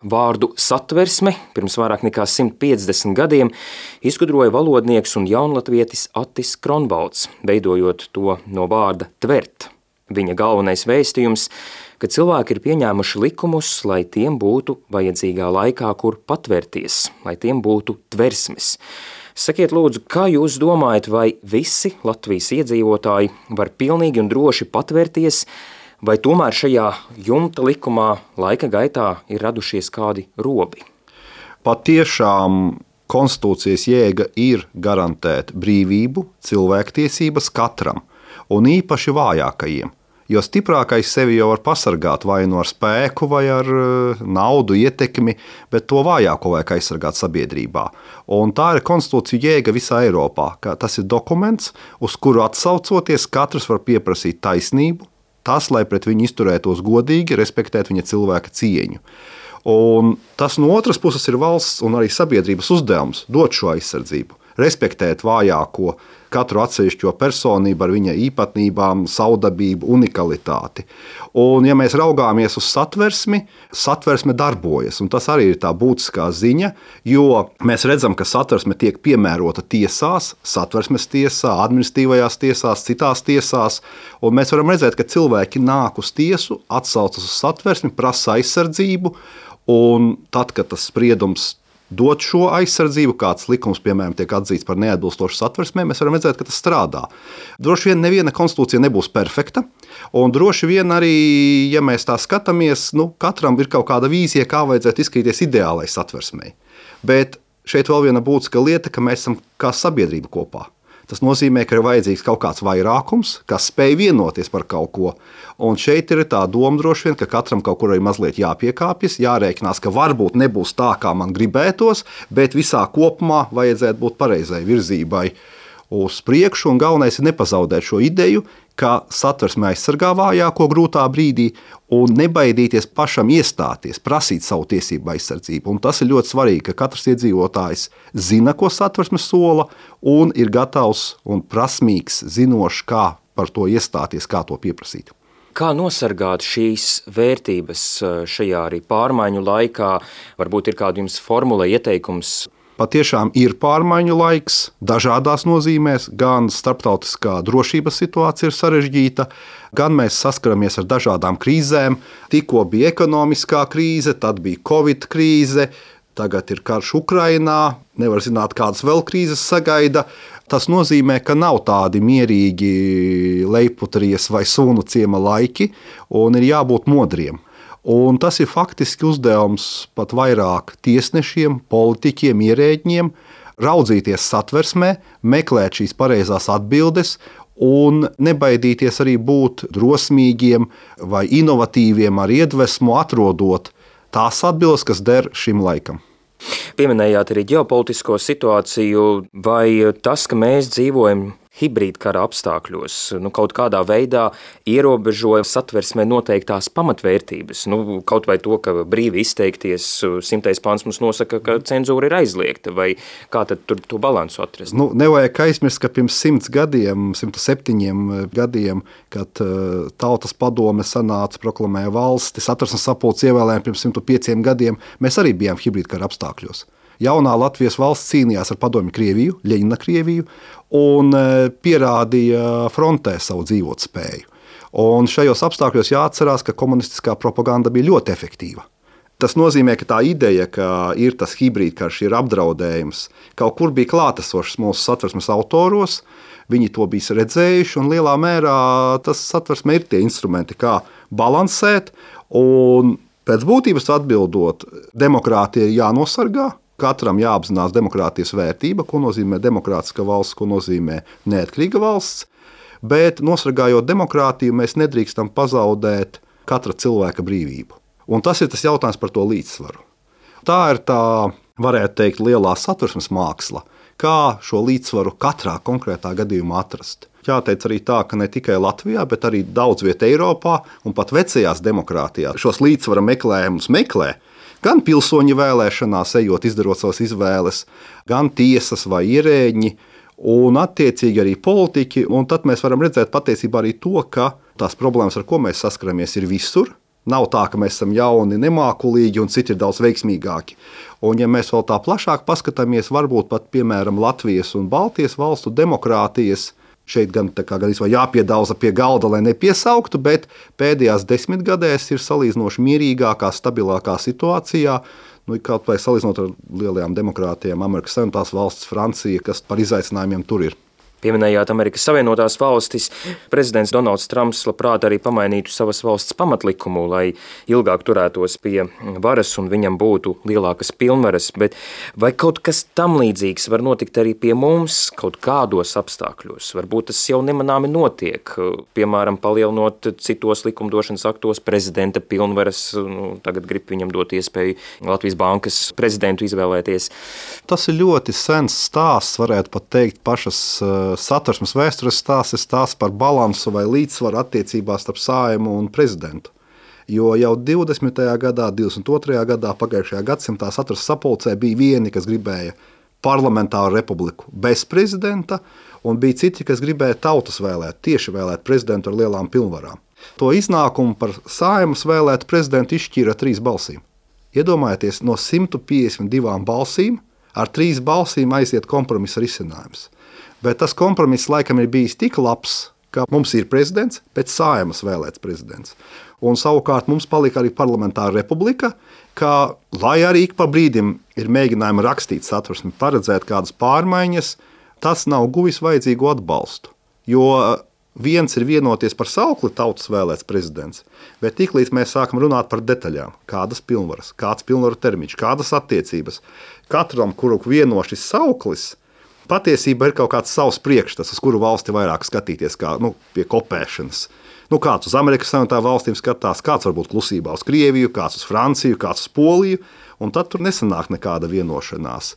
Vārdu satversme pirms vairāk nekā 150 gadiem izgudroja valodnieks un jaunlatvietis Attis Kronvalds, veidojot to no vārda tvert. Viņa galvenais vēstījums, ka cilvēki ir pieņēmuši likumus, lai tiem būtu vajadzīgā laikā, kur patvērties, lai tiem būtu tversmes. Sakiet lūdzu, kā jūs domājat, vai visi Latvijas iedzīvotāji var pilnīgi un droši patvērties, vai tomēr šajā jumta likumā laika gaitā ir radušies kādi robi? Patiešām konstitūcijas jēga ir garantēt brīvību, cilvēktiesības katram, un īpaši vājākajiem. Jo stiprākais sevi jau var pasargāt vai no ar spēku, vai ar naudu, ietekmi, bet to vājāko vajag aizsargāt sabiedrībā. Un tā ir konstitūcija jēga visā Eiropā. Tas ir dokuments, uz kuru atsaucoties katrs var pieprasīt taisnību, tas, lai pret viņu izturētos godīgi, respektēt viņa cilvēka cieņu. Un tas no otras puses ir valsts un arī sabiedrības uzdevums dot šo aizsardzību, respektēt vājāko, katru atsevišķo personību ar viņa īpatnībām, savdabību, unikalitāti. Un, ja mēs raugāmies uz satversmi, satversme darbojas, un tas arī ir tā būtiskā ziņa, jo mēs redzam, ka satversme tiek piemērota tiesās, satversmes tiesā, administratīvajās tiesās, citās tiesās, un mēs varam redzēt, ka cilvēki nāk uz tiesu, atsaucas uz satversmi, prasa aizsardzību, un tad, kad tas spriedums dot šo aizsardzību, kāds likums, piemēram, tiek atzīts par neatbilstošu satversmē, mēs varam redzēt, ka tas strādā. Droši vien neviena konstitūcija nebūs perfekta, un droši vien arī, ja mēs tā skatāmies, katram ir kaut kāda vīzija, kā vajadzētu izskatīties ideālai satversmei. Bet šeit vēl viena būtiska lieta, ka mēs esam kā sabiedrība kopā. Tas nozīmē, ka ir vajadzīgs kaut kāds vairākums, kas spēj vienoties par kaut ko. Un šeit ir tā doma droši vien, ka katram kaut kur arī mazliet jāpiekāpjas, jārēķinās, ka varbūt nebūs tā, kā man gribētos, bet visā kopumā vajadzētu būt pareizai virzībai uz priekšu. Un galvenais ir nepazaudēt šo ideju, ka satversme aizsargā vājāko grūtā brīdī un nebaidīties pašam iestāties, prasīt savu tiesību aizsardzību. Un tas ir ļoti svarīgi, ka katrs iedzīvotājs zina, ko satversme sola, un ir gatavs un prasmīgs, zinošs, kā par to iestāties, kā to pieprasīt. Kā nosargāt šīs vērtības šajā arī pārmaiņu laikā? Varbūt ir kāda jums formula, ieteikums? Patiešām ir pārmaiņu laiks dažādās nozīmēs, gan starptautiskā drošības situācija ir sarežģīta, gan mēs saskaramies ar dažādām krīzēm. Tikko bija ekonomiskā krīze, tad bija Covid krīze, tagad ir karš Ukrainā, nevar zināt, kādas vēl krīzes sagaida. Tas nozīmē, ka nav tādi mierīgi lejputrijas vai sunu ciema laiki, un ir jābūt modriem. Un tas ir faktiski uzdevums pat vairāk tiesnešiem, politiķiem, ierēģiem, raudzīties satversmē, meklēt šīs pareizās atbildes un nebaidīties arī būt drosmīgiem vai inovatīviem ar iedvesmu, atrodot tās atbildes, kas der šim laikam. Pieminējāt arī ģeopolitisko situāciju, vai tas, ka mēs dzīvojam hibrīdkara apstākļos, kaut kādā veidā ierobežoja satversmē noteiktās pamatvērtības. Kaut vai to, ka brīvi izteikties, 100. pāns mums nosaka, ka cenzūra ir aizliegta, vai kā tad tur to balansu atrast? Nevajag aizmirst, ka pirms 107 gadiem, kad Tautas padome sanāca, proklamēja valsti, satversmes sapulces ievēlējumi pirms 105 gadiem, mēs arī bijām hibrīdkara apstākļos. Jaunā Latvijas valsts cīnījās ar padomju Krieviju, Ļeņina Krieviju, un pierādīja frontē savu dzīvotspēju. Un šajos apstākļos jāatcerās, ka komunistiskā propaganda bija ļoti efektīva. Tas nozīmē, ka tā ideja, ka ir tas hibrīdkarš, ir apdraudējums, kaut kur bija klātesošs mūsu satversmes autoros, viņi to bija redzējuši, un lielā mērā tas satversme ir tie instrumenti, kā balansēt, un pēc būtības atbildot, demokrātija ir jānosargā, katram jāapzinās demokrātijas vērtība, ko nozīmē demokrātiska valsts, ko nozīmē neatkarīga valsts, bet nosargājot demokrātiju, mēs nedrīkstam pazaudēt katra cilvēka brīvību. Un tas ir tas jautājums par to līdzsvaru. Tā ir tā, varētu teikt, lielā satversmes māksla, kā šo līdzsvaru katrā konkrētā gadījumā atrast. Jāteic arī tā, ka ne tikai Latvijā, bet arī daudz viet Eiropā un pat vecajās demokrātijās šos līdzsvara meklējumus meklē, gan pilsoņu vēlēšanās, ejot, izdarot savas izvēles, gan tiesas vai ierēģi, un attiecīgi arī politiķi. Un tad mēs varam redzēt patiesībā arī to, ka tās problēmas, ar ko mēs saskaramies, ir visur, Nav tā, ka mēs esam jauni, nemākulīgi un citi ir daudz veiksmīgāki. Un, ja mēs vēl tā plašāk paskatāmies, varbūt pat, piemēram, Latvijas un Baltijas valstu demokrātijas, šeit gan jāpiedauza pie galda, lai nepiesauktu, bet pēdējās 10 gadēs ir salīdzinoši mierīgākā, stabilākā situācijā, kaut vai salīdzinot ar lielajām demokrātijām, Amerikas Savienotās valstis, Francija, kas par izaicinājumiem tur ir. Pieminējāt Amerikas Savienotās valstis. Prezidents Donalds Trumps labprāt arī pamainītu savas valsts pamatlikumu, lai ilgāk turētos pie varas un viņam būtu lielākas pilnvaras. Bet vai kaut kas tam līdzīgs var notikt arī pie mums kaut kādos apstākļos? Varbūt tas jau nemanāmi notiek, piemēram, palielinot citos likumdošanas aktos prezidenta pilnvaras. Tagad grib viņam dot iespēju Latvijas bankas prezidentu izvēlēties. Tas ir ļoti sens stāsts, varētu pat teikt, pašas Satversmes vēstures stāsts par balansu vai līdzsvaru attiecībās starp Saeimu un prezidentu. Jo jau 20. gadā, 22. gadā pagājušajā gadsimtā Satversmes sapulcē bija vieni, kas gribēja parlamentāru republiku bez prezidenta, un bija citi, kas gribēja tautas vēlēt, tieši vēlēt prezidentu ar lielām pilnvarām. To iznākumu par Saeimas vēlētu prezidentu izšķīra 3 balsīm. Iedomājieties, no 152 balsīm ar 3 balsīm aiziet kompromisa risinājums. Bet tas kompromiss laikam ir bijis tik labs, ka mums ir prezidents, pēc Saeimas vēlēts prezidents. Un savukārt mums palika arī parlamentāra republika, ka, lai arī ik pa brīdim ir mēģinājumi rakstīt Satversmi, paredzēt kādas pārmaiņas, tas nav guvis vajadzīgo atbalstu. Jo viens ir vienoties par saukli tautas vēlēts prezidents, bet tiklīdz mēs sākam runāt par detaļām, kādas pilnvaras, kāds pilnvaru termiņš, kādas attiecības, katram, kuru vieno šis sauklis, patiesībā ir kaut kāds savs priekšstats, uz kuru valsti vairāk skatīties, kā pie kopēšanas. Kāds uz Amerikas Savienotām valstīm skatās, kāds varbūt klusībā uz Krieviju, kāds uz Franciju, kāds uz Poliju, un tad tur nesanāk nekāda vienošanās.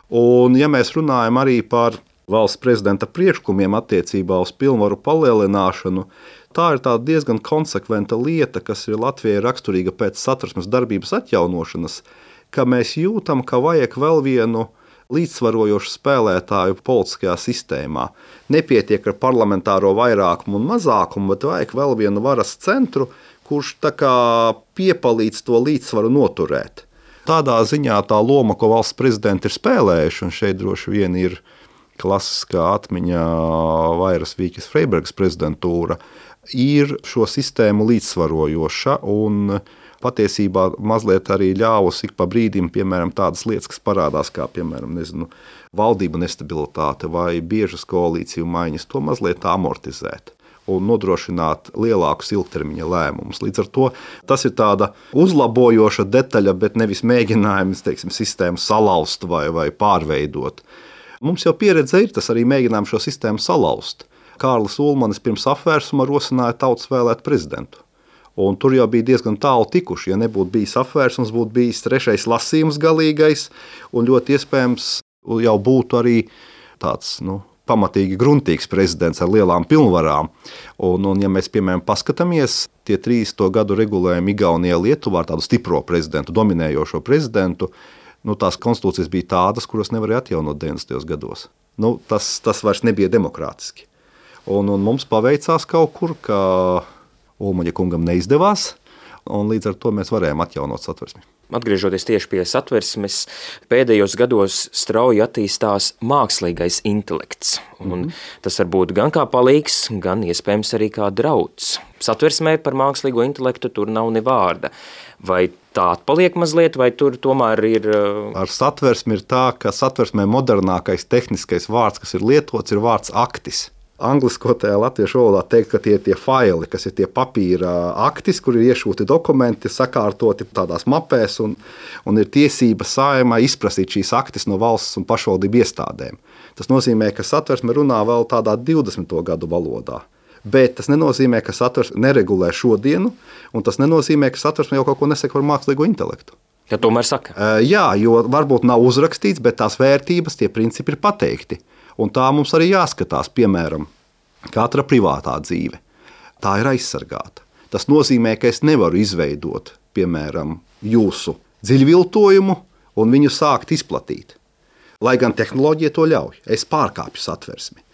Un, ja mēs runājam arī par valsts prezidenta priekšlikumiem attiecībā uz pilnvaru palielināšanu, tā ir tāda diezgan konsekventa lieta, kas ir Latvijai raksturīga pēc Satversmes darbības atjaunošanas, ka mēs jūtam, ka vajag vēl vienu līdzsvarojošu spēlētāju politiskajā sistēmā. Nepietiek ar parlamentāro vairākumu un mazākumu, bet vajag vēl vienu varas centru, kurš piepalīdz to līdzsvaru noturēt. Tādā ziņā tā loma, ko valsts prezidenti ir spēlējuši, un šeit droši vien ir klasiskā atmiņā Vairas Vīķes Freibergas prezidentūra, ir šo sistēmu līdzsvarojoša un patiesībā mazliet arī ļāvusi ik pa brīdim, piemēram, tādas lietas, kas parādās, kā, piemēram, valdību nestabilitāte vai biežas koalīciju maiņas, to mazliet amortizēt un nodrošināt lielākus ilgtermiņa lēmumus. Līdz ar to tas ir tāda uzlabojoša detaļa, bet nevis mēģinājums, sistēmu salauzt vai pārveidot. Mums jau pieredze ir, tas arī mēģinājums šo sistēmu salauzt. Kārlis Ulmanis pirms apvērsuma rosināja tautas vēlēt prezidentu. Un tur jau bija diezgan tālu tikuši. Ja nebūtu bijis apvērsums, būtu bijis 3. lasījums galīgais, un ļoti iespējams jau būtu arī tāds pamatīgi gruntīgs prezidents ar lielām pilnvarām. Un ja mēs, piemēram, paskatāmies, tie 30. gadu regulējumi Igaunijā, Lietuvā ar tādu stipro prezidentu, dominējošo prezidentu, tās konstitūcijas bija tādas, kuras nevarēja atjaunot 90. gados. Tas vairs nebija demokrātiski. Un mums paveicās kaut kur, ka Ulmaņa kungam neizdevās, un līdz ar to mēs varējām atjaunot Satversmi. Atgriežoties tieši pie Satversmes, pēdējos gados strauji attīstās mākslīgais intelekts. Un tas var būt gan kā palīgs, gan iespējams arī kā drauds. Satversmē par mākslīgo intelektu tur nav ne vārda. Vai tā atpaliek mazliet, vai tur tomēr ir... Ar Satversmi ir tā, ka Satversmē modernākais tehniskais vārds, kas ir lietots, ir vārds aktis. Angliskotajā latviešu valodā teikt, ka tie ir tie faili, kas ir tie papīra aktis, kur ir iešūti dokumenti, sakārtoti tādās mapēs, un ir tiesība Saeimai izprasīt šīs aktis no valsts un pašvaldību iestādēm. Tas nozīmē, ka Satversme runā vēl tādā 20. gadu valodā. Bet tas nenozīmē, ka Satversme neregulē šodienu, un tas nenozīmē, ka Satversme jau kaut ko nesaka par mākslīgo intelektu. Ja tomēr saka? Jā, jo varbūt nav uzrakstīts, bet tās vērtības, tie principi ir pateikti. Un tā mums arī jāskatās, piemēram, katra privātā dzīve. Tā ir aizsargāta. Tas nozīmē, ka es nevaru izveidot, piemēram, jūsu dziļviltojumu un viņu sākt izplatīt. Lai gan tehnoloģija to ļauj, es pārkāpju Satversmi.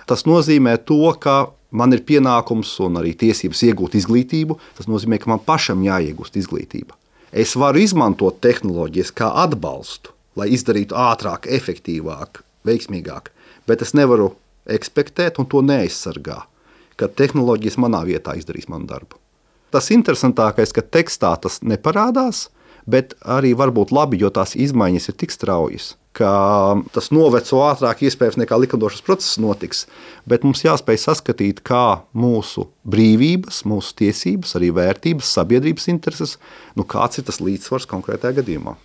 Tas nozīmē to, ka man ir pienākums un arī tiesības iegūt izglītību, tas nozīmē, ka man pašam jāiegūst izglītība. Es varu izmantot tehnoloģijas kā atbalstu, lai izdarītu ātrāk, efektīvāk, veiksmīgāk, bet es nevaru ekspektēt un to neaizsargā, ka tehnoloģijas manā vietā izdarīs manu darbu. Tas interesantākais, ka tekstā tas neparādās, bet arī var būt labi, jo tās izmaiņas ir tik straujas, ka tas noveco ātrāk iespējams nekā likumdošanas process notiks, bet mums jāspēj saskatīt, kā mūsu brīvības, mūsu tiesības, arī vērtības, sabiedrības intereses, kāds ir tas līdzsvars konkrētajā gadījumā.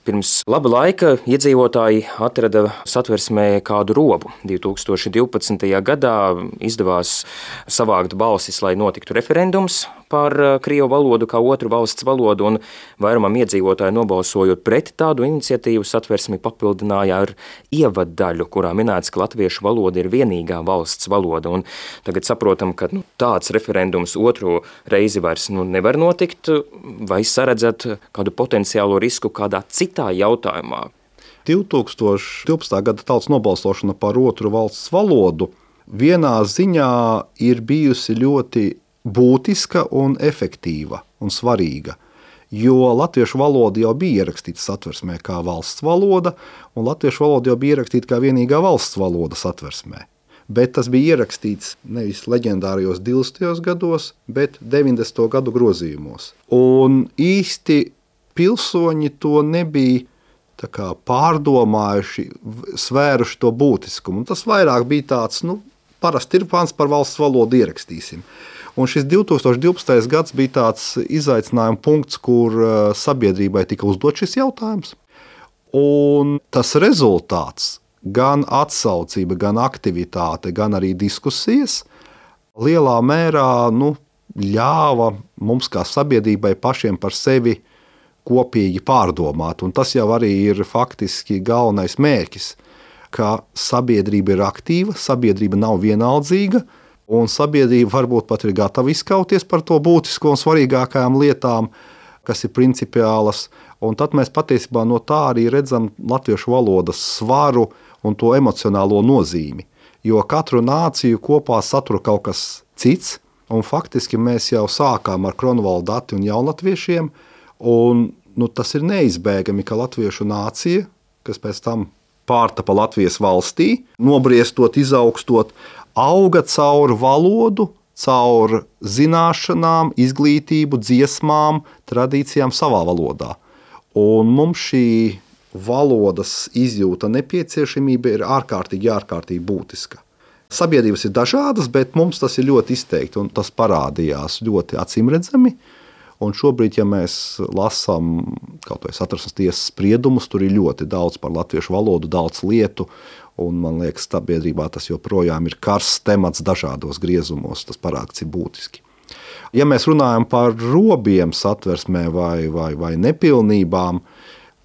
Pirms laba laika iedzīvotāji atrada Satversmē kādu robu. 2012. gadā izdevās savākt balsis, lai notiktu referendums par krievu valodu kā otru valsts valodu, un vairumam iedzīvotāji nobalsojot pret tādu iniciatīvu Satversmi papildināja ar ievaddaļu, kurā minēts, ka latviešu valoda ir vienīgā valsts valoda. Un tagad saprotam, ka tāds referendums otro reizi vairs nevar notikt, vai saredzat kādu potenciālo risku kādā citā jautājumā? 2012. gada tautas nobalsošana par otru valsts valodu vienā ziņā ir bijusi ļoti būtiska un efektīva un svarīga, jo latviešu valoda jau bija ierakstīta Satversmē kā valsts valoda, un latviešu valoda jau bija ierakstīta kā vienīgā valsts valoda Satversmē. Bet tas bija ierakstīts nevis leģendārajos 20. gados, bet 90. gadu grozījumos. Un īsti pilsoņi to nebija pārdomājuši, svēruši to būtiskumu. Un tas vairāk bija tāds, parasti ir pants par valsts valodu ierakstīsim. Un šis 2012. gads bija tāds izaicinājuma punkts, kur sabiedrībai tika uzdot šis jautājums. Un tas rezultāts, gan atsaucība, gan aktivitāte, gan arī diskusijas lielā mērā ļāva mums kā sabiedrībai pašiem par sevi kopīgi pārdomāt. Un tas jau arī ir faktiski galvenais mērķis, ka sabiedrība ir aktīva, sabiedrība nav vienaldzīga, un sabiedrība varbūt pat ir gatava izkauties par to būtisko un svarīgākajām lietām, kas ir principiālas. Un tad mēs patiesībā no tā arī redzam latviešu valodas svaru un to emocionālo nozīmi. Jo katru nāciju kopā satura kaut kas cits, un faktiski mēs jau sākām ar Kronvaldu Dati un jaunlatviešiem, un tas ir neizbēgami, ka latviešu nācija, kas pēc tam pārtapa Latvijas valstī, nobriestot, izaugstot, auga caur valodu, caur zināšanām, izglītību, dziesmām, tradīcijām savā valodā. Un mums šī valodas izjūta nepieciešamība ir ārkārtīgi būtiska. Sabiedrības ir dažādas, bet mums tas ir ļoti izteikti, un tas parādījās ļoti acīmredzami. Un šobrīd, ja mēs lasām kaut vai Satversmes tiesas spriedumus, tur ir ļoti daudz par latviešu valodu, daudz lietu, un man liekas, sabiedrībā tas joprojām ir karsts temats dažādos griezumos, tas parāds ir būtiski. Ja mēs runājam par robiem Satversmē vai nepilnībām,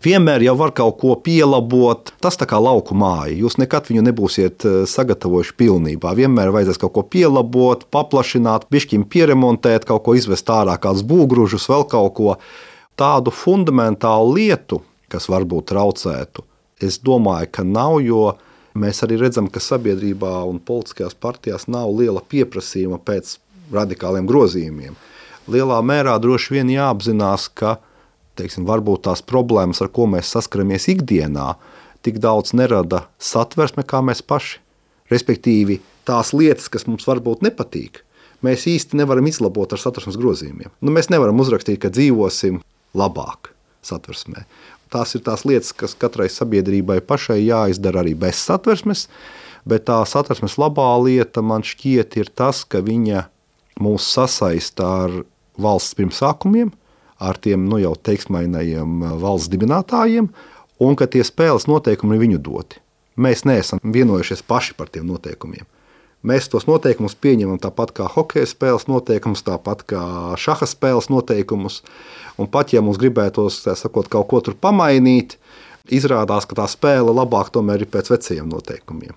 vienmēr jau var kaut ko pielabot. Tas tā kā lauku māja. Jūs nekad viņu nebūsiet sagatavojuši pilnībā. Vienmēr vajadzēs kaut ko pielabot, paplašināt, bišķiņ pieremontēt, kaut ko izvest ārā, kādus būgružus, vēl kaut ko. Tādu fundamentālu lietu, kas varbūt traucētu, es domāju, ka nav, jo mēs arī redzam, ka sabiedrībā un politiskajās partijās nav liela pieprasījuma pēc radikāliem grozījumiem. Lielā mērā droši vien jāapzinās, ka varbūt tās problēmas, ar ko mēs saskaramies ikdienā, tik daudz nerada Satversme kā mēs paši. Respektīvi, tās lietas, kas mums varbūt nepatīk, mēs īsti nevaram izlabot ar Satversmes grozījumiem. Mēs nevaram uzrakstīt, ka dzīvosim labāk Satversmē. Tās ir tās lietas, kas katrai sabiedrībai pašai jāizdara arī bez Satversmes, bet tā Satversmes labā lieta man šķiet ir tas, ka viņa mūs sasaista ar valsts pirmsākumiem, ar tiem jau teiksmainajiem valsts dibinātājiem, un ka tie spēles noteikumi ir viņu doti. Mēs neesam vienojušies paši par tiem noteikumiem. Mēs tos noteikumus pieņemam tāpat kā hokeja spēles noteikumus, tāpat kā šaha spēles noteikumus, un pat ja mums gribētos, kaut ko tur pamainīt, izrādās, ka tā spēle labāk tomēr ir pēc vecajiem noteikumiem.